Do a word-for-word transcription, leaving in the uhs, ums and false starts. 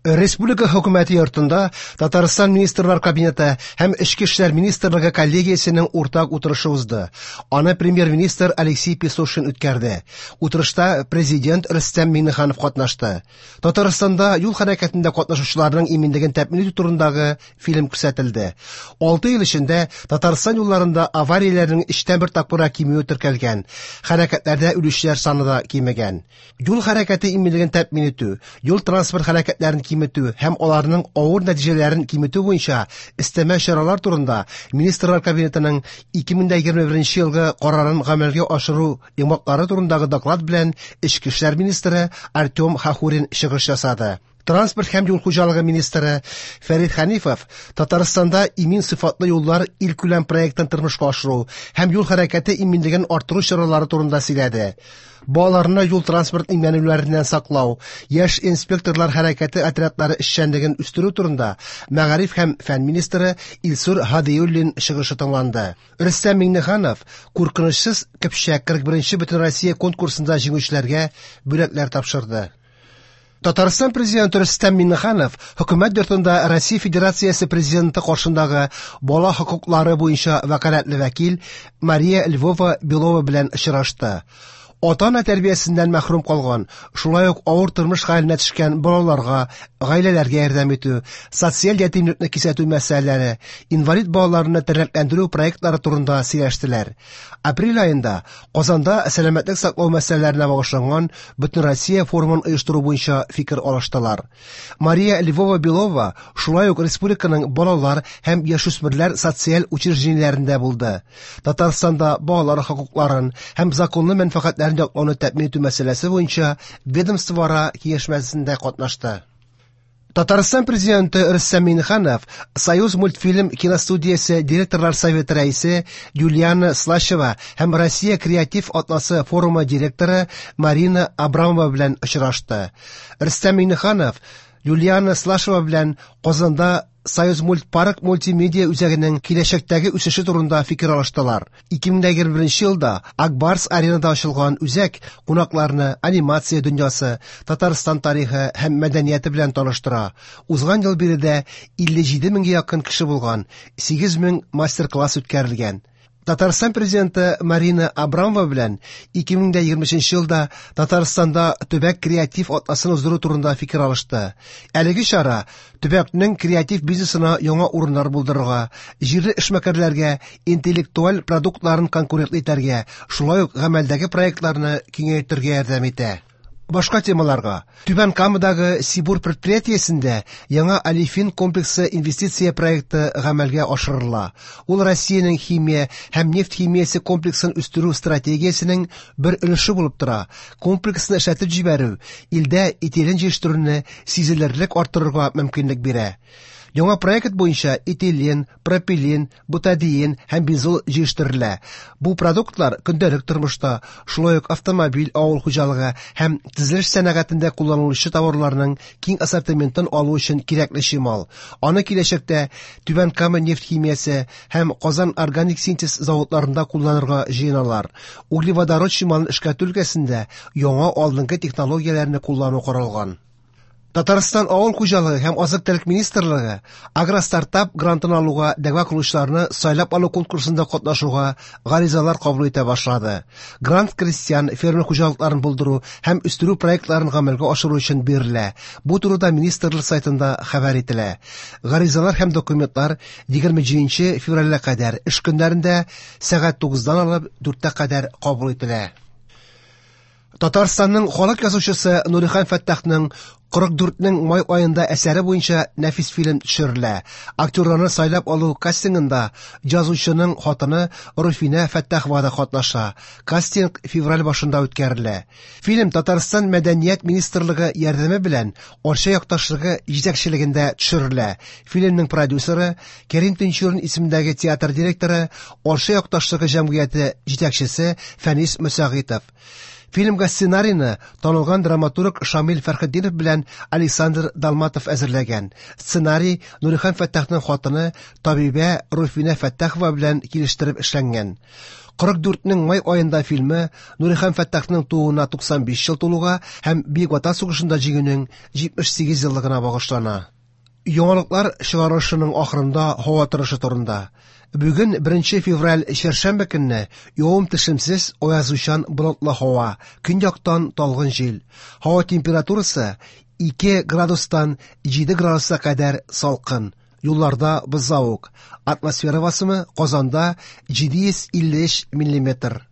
Республика хөкүмәте йортында Татарстан Министрлар Кабинеты һәм Эчке эшләр министрлыгы коллегиясенең уртак утырышы узды. Аны премьер-министр Алексей Песошин үткәрде. Утырышта президент Рөстәм Миңнеханов катнашты. Татарстанда юл хәрәкәтендә катнашучыларның иминлеген тәэмин итү турындагы фильм күрсәтелде. Алты ел эчендә Татарстан юлларында аварияләрнең өчтән бер тапкырга кимүе теркәлгән. Хәрәкәтләрдә үлүчеләр саны да кимегән. Юл хәрәкәте иминлеген тәэмин итү, юл транспорт хәрәкәтләрен киметү һәм аларның авыр нәтиҗәләрен киметү буенча өстәмә чаралар турында Министрлар Кабинетының ике мең егерме беренче елгы карарын гамәлгә ашыру йомгаклары турындагы доклад белән Эчке эшләр министры Артем Хахурин чыгыш ясады. Транспорт һәм юл хуҗалыгы министры Фәрит Хәнифов Татарстанда имин сыйфатлы юллар илкүләм проектын тормышка ашыру һәм юл хәрәкәте иминлеген арттыру чаралары турында сөйләде. Балаларны юл транспорт имгәнүләреннән саклау, яшь инспекторлар хәрәкәте отрядлары эшчәнлеген үстерү турында Мәгариф һәм фән министры Илсур Һадиуллин чыгышы тыңланды. Рөстәм Миңнеханов куркынычсыз Кыпчак кырык беренче Бөтенроссия конкурсында җиңүчеләргә бүләкләр тапшырды. Татарстан президенты Рөстәм Миңнеханов хөкүмәт йортында Россия Федерациясе президенты каршындагы бала хокуклары буенча вәкаләтле вәкил Мария Львова-Белова белән очрашты. Ата-ана тәрбиясеннән мәхрүм калган, шулай ук авыр тормыш хәленә төшкән балаларга, гаиләләргә ярдәм итү, социаль ятимлекне кисәтү мәсьәләләре, инвалид балаларны тернәкләндерү проектлары турында сөйләштеләр. Апрель аенда Казанда сәламәтлек саклау мәсьәләләренә багышланган Бөтенроссия форумын оештыру буенча фикер алыштылар. Мария Львова-Белова шулай ук республиканың балалар һәм яшүсмерләр социаль учреждениеләрендә булды. Татарстанда балалар хокукларын һәм законлы мәнфәгатьләрен яклауны тәэмин итү мәсьәләсе буенча ведомствоара киңәшмәсендә катнашты. Татарстан президенты Рөстәм Миңнеханов Союз мультфильм киностудиясе директорлар советы рәисе Юлиана Слащева һәм Россия креатив атласы форумы директоры Марина Абрамова белән очрашты. Рөстәм Миңнеханов Юлиана Слащева белән Казанда Союз мультпарк мультимедиа үзәгенең киләчәктәге үсеше турында фикер алыштылар. ике мең егерме беренче елда Акбарс аренада ачылган үзәк кунакларны анимация дөньясы, Татарстан тарихы һәм мәдәнияте белән таныштыра. Узган ел биредә илле җиде меңгә якын кеше булган, сигез мең мастер-класс үткәрелгән. Татарстан президенты Марина Абрамова белән ике мең егерме өченче елда Татарстанда төбәк креатив атласын уздыру турында фикер алышты. Әлеге чара төбәкнең креатив бизнесына яңа урыннар булдырырга, җирле эшмәкәрләргә интеллектуаль продуктларын конкурентлы итәргә, шулай ук гамәлдәге проектларны киңәйтергә ярдәм итә. Башка темаларга. Түбән Камадагы Сибур предприятиесендә яңа олефин комплексы инвестиция проекты гамәлгә ашырыла. Ул Россиянең химия һәм нефть химиясе комплексын үстерү стратегиясенең бер өлеше булып тора. Комплексны эшләтеп җибәрү илдә этилен җитештерүне сизелерлек арттырырга мөмкинлек бирә. Яңа проект буенча этилен, пропилен, бутадиен һәм бензол җитештерелә. Бу продуктлар көндәлек тормышта, шулай ук автомобиль, авыл хуҗалыгы һәм төзелеш сәнәгатендә кулланылучы товарларның киң ассортиментын алу өчен кирәкле чимал. Аны киләчәктә Түбән Кама нефть химиясе һәм Казан органик синтез заводларында кулланырга җыеналар. Углеводород чималын эшкәртү өлкәсендә яңа алдынгы технологияләрне куллану каралган. Татарстан авыл хуҗалыгы һәм азык-төлек министрлыгы агростартап грантын алуга дәгъва кылучыларны сайлап алу конкурсында катнашуга гаризалар кабул итә башлады. Грант крестьян фермер хуҗалыкларын булдыру һәм үстерү проектларын гамәлгә ашыру өчен бирелә. Бу турыда министрлык сайтында хәбәр ителә. Гаризалар һәм документлар егерме җиденче февральгә кадәр эш көннәрендә сәгать тугыздан алып дүрткә кадәр кабул ителә. Татарстанның халык язучысы Нурихан Фәттахның кырык дүртнең май аенда әсәре буенча нәфис фильм төшерелә. Актерларны сайлап алу кастингында язучының хатыны Руфинә Фәттахова да катнаша. Кастинг февраль башында үткәрелә. Фильм Татарстан Мәдәният министрлыгы ярдәме белән Арча якташлыгы җитәкчелегендә төшерелә. Фильмның продюсеры Кәрим Тинчурин исемендәге театр директоры, Арча якташлыгы җәмгыяте җитәкчесе Фәнис Мөсәгыйтов. Фильмга сценарийны танылган драматург Шамил Фәрхетдинов белән Александр Далматов әзерләгән. Сценарий Нурихан Фәттахның хатыны табибә Руфинә Фәттахова белән килештереп эшләнгән. Кырык дүртнең май аенда фильмы Нурихан Фәттахның тууына туксан биш ел тулуга һәм Бөек Ватан сугышында җиңүнең җитмеш сигез еллыгына багышлана. Яңалыклар чыгарылышының ахырында һава торышы турында. Бүген беренче февраль чәршәмбе көнне явым-төшемсез, аязучан болытлы һава, көньяктан талгын җил. Һава температурасы ике градустан җиде градуска кадәр салкын. Юлларда бозлавык. Атмосфера басымы Казанда җиде йөз илле өч миллиметр.